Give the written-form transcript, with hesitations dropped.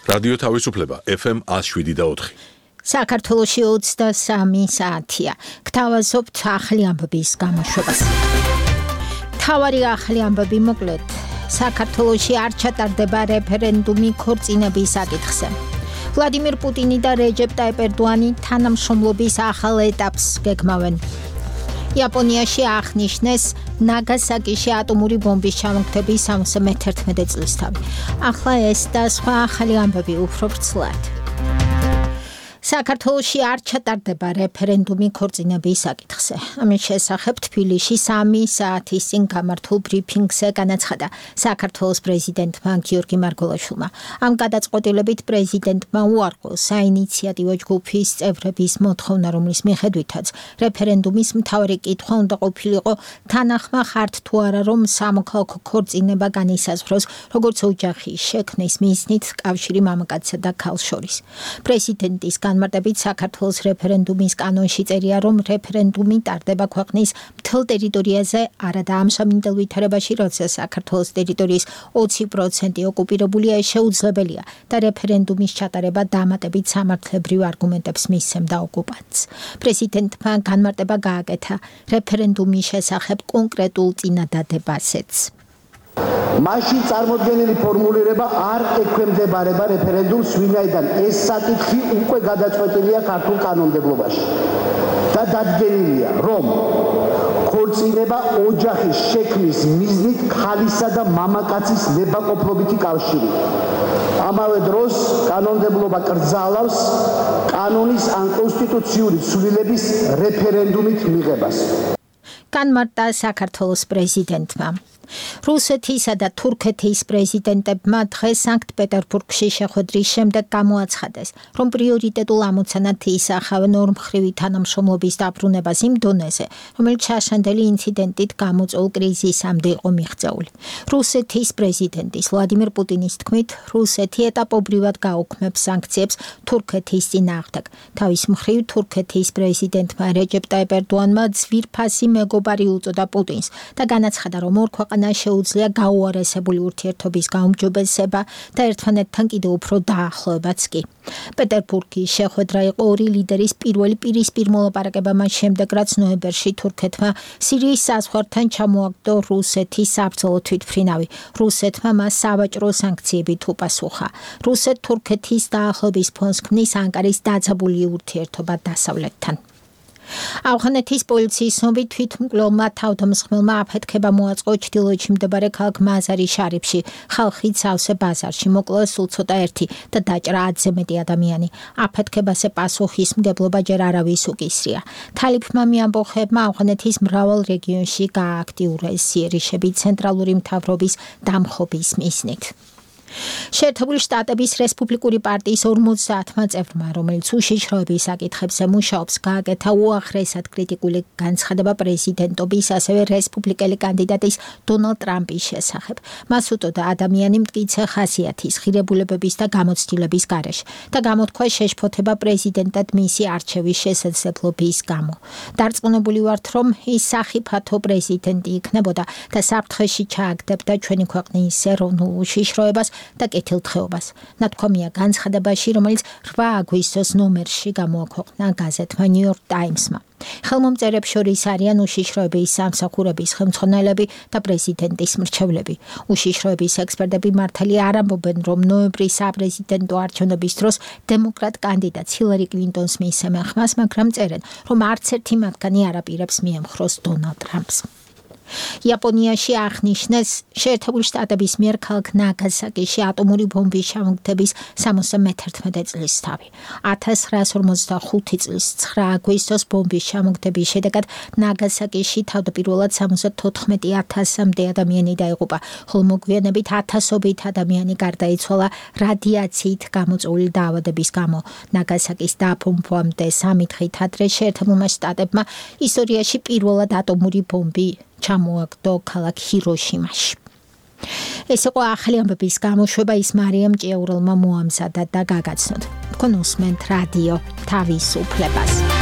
რადიო თავისუფლება FM 107.4. საქართველოში 23 საათია. გთავაზობთ ახალი ამბების გამოშვებას. თავარი ახალი ამბები მოკლედ. საქართველოში არ ჩატარდება რეფერენდუმი ქორწინების საკითხზე. ვლადიმირ პუტინი და რეჯეპ ტაიპ ერდოანი თანამშრომლობის ახალ ეტაპს გეგმავენ. იაპონიაში აღნიშნეს ნაგასაკიში ატომური ბომბის ჩამოგდების 71 წლისთავი. ახლა ეს და სხვა ახალი ამბები უფრო ვრცლად. საქართველოში არ ჩატარდება რეფერენდუმი ქორწინების საკითხზე. ამის შესახებ თბილისში 3 საათის წინ გამართულ ბრიფინგზე განაცხადა საქართველოს პრეზიდენტმა გიორგი მარგველაშვილმა. ამ გადაწყვეტილებით პრეზიდენტმა უარყო საინიციატივო ჯგუფის წევრების მოთხოვნა, რომლის მიხედვითაც რეფერენდუმის მთავარი კითხვა უნდა ყოფილიყო თანახმა ხართ თუ არა, რომ სამოქალაქო ქორწინება განისაზღვროს როგორც ოჯახის შექმნის მიზნით კავშირი მამაკაცსა და ქალს შორის. პრეზიდენტის განმარტებით საქართველოს რეფერენდუმის კანონში წერია, რომ რეფერენდუმი ტარდება ქვეყნის მთელ ტერიტორიაზე, არა და ამ სამინდელ ვითარებაში, როცა საქართველოს ტერიტორიის 20% ოკუპირებულია, შეუძლებელია და რეფერენდუმის ჩატარება დამატებით სამართლებრივ არგუმენტებს მისცემდა ოკუპანტს. პრეზიდენტმა განმარტება გააკეთა რეფერენდუმის შესახებ კონკრეტულ წინადადებასეც. მაშინ წარმოდგენილი ფორმულირება არ ექვემდებარება რეფერენდუმს, ვინაიდან ეს საკითხი უკვე გადაწყვეტილია ქართულ კანონმდებლობაში და დადგენილია, რომ ქორწინება ოჯახის შექმნის მიზნით ქალისა და მამაკაცის ნებაყოფლობითი კავშირი. ამავე დროს კანონმდებლობა კრძალავს კანონის ან კონსტიტუციური ცვლილების რეფერენდუმით მიღებას. განმარტა საქართველოს პრეზიდენტმა. რუსეთისა და თურქეთის პრეზიდენტებმა დღეს სანქტ-პეტერბურგში შეხვედრის შემდეგ გამოაცხადეს, რომ პრიორიტეტულ ამოცანად ისახავენ ორმხრივი თანამშრომლობის დაბრუნებას იმ დონეზე, რომელიც შაშანდელი ინციდენტით გამოწვეულ კრიზისამდე იყო მიღწეული. რუსეთის პრეზიდენტის ვლადიმირ პუტინის თქმით, რუსეთი ეტაპობრივად გაუქმებს სანქციებს თურქეთის წინააღმდეგ. თავის მხრივ თურქეთის პრეზიდენტმა რეჯეპ ტაიპ ერდოანმა ძვირფასი მეგობარი უწოდა პუტინს და განაცხადა, რომ ორ შეუძლია გაუარესებული ურთიერთობის გაუმჯობესება და ერთმანეთთან კიდევ უფრო დაახლოებაც კი. პეტერბურგის შეხვედრა იყო ორი ლიდერის პირველი პირისპირ მოლაპარაკება მას შემდეგ, რაც ნოემბერში თურქეთმა სირიის საზღვართან ჩამოაგდო რუსეთის საბრძოლო თვითმფრინავი. რუსეთმა მას სავაჭრო სანქციებით უპასუხა. რუსეთ-თურქეთის დაახლოების ფონს ქმნის ანკარის დაძაბული ურთიერთობა დასავლეთთან. ავღანეთის პოლიციის ცნობით თვითმკვლელმა თავდამსხმელმა აფეთქება მოაწყო ჩრდილოეთში მდებარე ქალაქ მაზარი შარიფში ხალხით სავსე ბაზარში. მოკლეს სულ ცოტა ერთი და დაჭრა 10-ზე მეტი ადამიანი. აფეთქებაზე პასუხისმგებლობა ჯერ არავის უკისრია. თალიფმა მიამბოხებმა ავღანეთის მრავალ რეგიონში გაააქტიურეს იერიშები ცენტრალური მთავრობის დამხობის მიზნით. შეერთებული შტატების რესპუბლიკური პარტიის 50-მა წევრმა, რომელიც უშიშროების საკითხებზე მუშაობს, გააკეთა უაღრესად კრიტიკული განცხადება პრეზიდენტობის, ასევე რესპუბლიკელი კანდიდატის დონალდ ტრამპის შესახებ. მას უტოდა ადამიანი მტკიცე ხასიათის, ღირებულებების და გამოცდილების გარეშე და გამოთქვა შეშფოთება პრეზიდენტად მისი არჩევის შესაძლებლობის გამო. დარწმუნებული ვართ, რომ ის სახიფათო პრეზიდენტი იქნებოდა და საფრთხეში ჩააგდებდა ჩვენი ქვეყნის ეროვნულ უშიშროებას და კეთილდღეობას. ნათქვამია განცხადებაში, რომელიც 8 აგვისტოს ნომერში გამოაქვეყნა გაზეთმა New York Times-მა. ხელმომწერებს შორის არიან უშიშროების სამსახურების ხელმძღვანელები და პრეზიდენტის მრჩევლები. უშიშროების ექსპერტები მართალი არ ამბობენ, რომ ნოემბრის საპრეზიდენტო არჩევნების დროს დემოკრატ კანდიდატს ჰილარი კლინტონს მიისმენ ხმას, მაგრამ წერენ, რომ არც ერთი მათგანი არ აპირებს მიემხროს დონალდ ტრამპს. იაპონიაში აღნიშნეს შეერთებული შტატების მიერ ქალაქ ნაგასაკიში ატომური ბომბის ჩამოგდების 71 წლისთავი. 1945 წლის 9 აგვისტოს ბომბის ჩამოგდების შედეგად ნაგასაკიში თავდაპირველად 74,000-მდე ადამიანი დაიღუპა, ხოლო მოგვიანებით ათასობით ადამიანი გარდაიცვალა რადიაციით გამოწვეული დაავადების გამო. ნაგასაკის დაბომბვამდე 3 დღით ადრე შეერთებულმა შტატებმა ისტორიაში პირველად ატომური ბომბი ჩამოაგდო ქალაქ ჰიროშიმაში. ეს იყო ახალი ამბების გამოშვება, ის მარიამ ჭიაურელმა მოამზადა და გაგაცნოთ. თქვენ უსმენთ რადიო თავისუფლებას.